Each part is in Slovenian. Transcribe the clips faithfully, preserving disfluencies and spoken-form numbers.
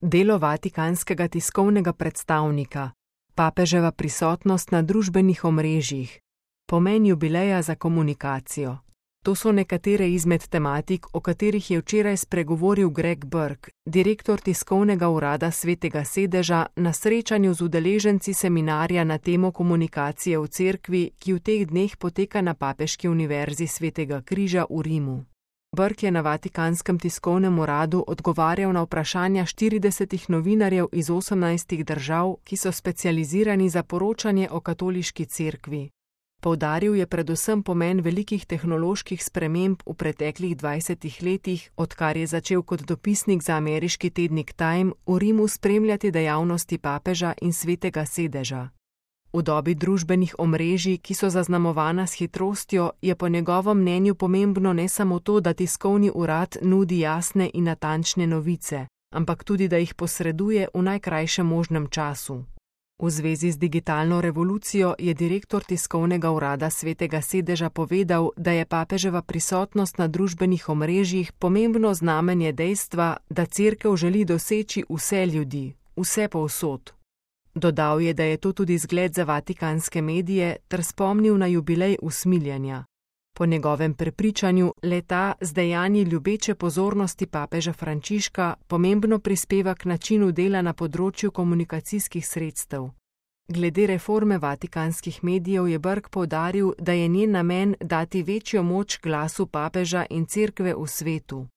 Delo vatikanskega tiskovnega predstavnika, papeževa prisotnost na družbenih omrežjih, pomen jubileja za komunikacijo. To so nekatere izmed tematik, o katerih je včeraj spregovoril Greg Burke, direktor tiskovnega urada Svetega sedeža, na srečanju z udeleženci seminarja na temo komunikacije v cerkvi, ki v teh dneh poteka na Papeški univerzi Svetega križa v Rimu. Burke je na Vatikanskem tiskovnem uradu odgovarjal na vprašanja štiridesetih novinarjev iz osemnajstih držav, ki so specializirani za poročanje o katoliški cerkvi. Poudaril je predvsem pomen velikih tehnoloških sprememb v preteklih dvajsetih letih, odkar je začel kot dopisnik za ameriški tednik Time v Rimu spremljati dejavnosti papeža in Svetega sedeža. V dobi družbenih omrežij, ki so zaznamovana s hitrostjo, je po njegovem mnenju pomembno ne samo to, da tiskovni urad nudi jasne in natančne novice, ampak tudi, da jih posreduje v najkrajšem možnem času. V zvezi z digitalno revolucijo je direktor tiskovnega urada Svetega sedeža povedal, da je papeževa prisotnost na družbenih omrežjih pomembno znamenje dejstva, da cerkev želi doseči vse ljudi, vse povsod. Dodal je, da je to tudi zgled za vatikanske medije, ter spomnil na jubilej usmiljenja. Po njegovem prepričanju le-ta z dejanji ljubeče pozornosti papeža Frančiška pomembno prispeva k načinu dela na področju komunikacijskih sredstev. Glede reforme vatikanskih medijev je Burke poudaril, da je njen namen dati večjo moč glasu papeža in cerkve v svetu.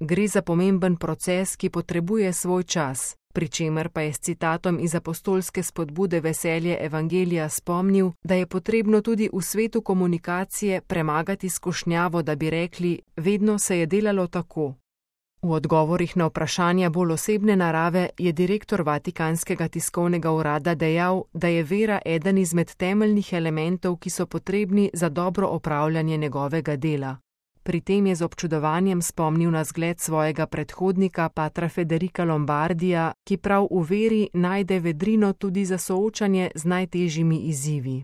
Gre za pomemben proces, ki potrebuje svoj čas, pri čemer pa je s citatom iz apostolske spodbude Veselje evangelija spomnil, da je potrebno tudi v svetu komunikacije premagati skušnjavo, da bi rekli, vedno se je delalo tako. V odgovorih na vprašanja bolj osebne narave je direktor Vatikanskega tiskovnega urada dejal, da je vera eden izmed temeljnih elementov, ki so potrebni za dobro opravljanje njegovega dela. Pri tem je z občudovanjem spomnil na zgled svojega predhodnika, patra Federica Lombardija, ki prav v veri najde vedrino tudi za soočanje z najtežjimi izzivi.